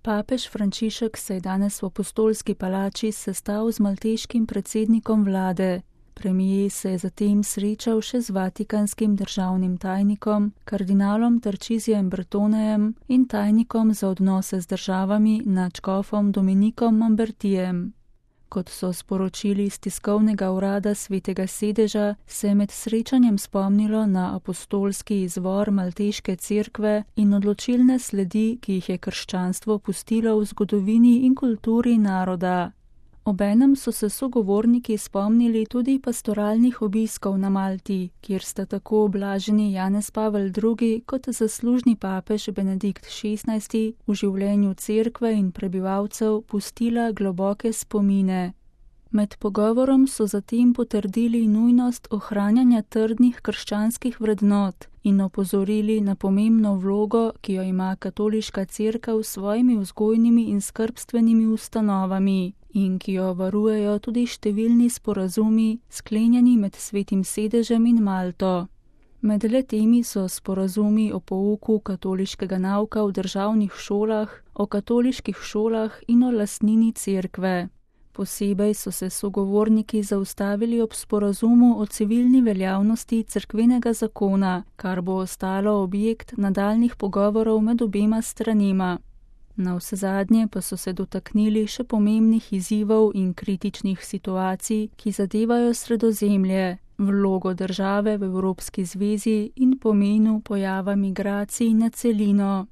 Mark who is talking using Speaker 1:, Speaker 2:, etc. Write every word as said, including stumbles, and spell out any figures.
Speaker 1: Papež Frančišek se je danes v Apostolski palači sestal z malteškim predsednikom vlade. Premier se je zatem srečal še z vatikanskim državnim tajnikom, kardinalom Tarcisijem Bertonejem in tajnikom za odnose z državami nadškofom Dominikom Mambertijem. Kot so sporočili iz tiskovnega urada Svetega sedeža, se je med srečanjem spomnilo na apostolski izvor Malteške cerkve in odločilne sledi, ki jih je krščanstvo pustilo v zgodovini in kulturi naroda. Obenem so se sogovorniki spomnili tudi pastoralnih obiskov na Malti, kjer sta tako blaženi Janez Pavel drugi kot zaslužni papež Benedikt šestnajsti v življenju cerkve in prebivalcev pustila globoke spomine. Med pogovorom so zatem potrdili nujnost ohranjanja trdnih krščanskih vrednot in opozorili na pomembno vlogo, ki jo ima katoliška cerkev s svojimi vzgojnimi in skrbstvenimi ustanovami in ki jo varujejo tudi številni sporazumi, sklenjeni med Svetim sedežem in Malto. Med le-temi so sporazumi o pouku katoliškega nauka v državnih šolah, o katoliških šolah in o lastnini cerkve. Posebej so se sogovorniki zaustavili ob sporazumu o civilni veljavnosti cerkvenega zakona, kar bo ostalo objekt nadaljnjih pogovorov med obema stranema. Navsezadnje pa so se dotaknili še pomembnih izzivov in kritičnih situacij, ki zadevajo Sredozemlje, vlogo države v Evropski zvezi in pomenu pojava migracij na celino.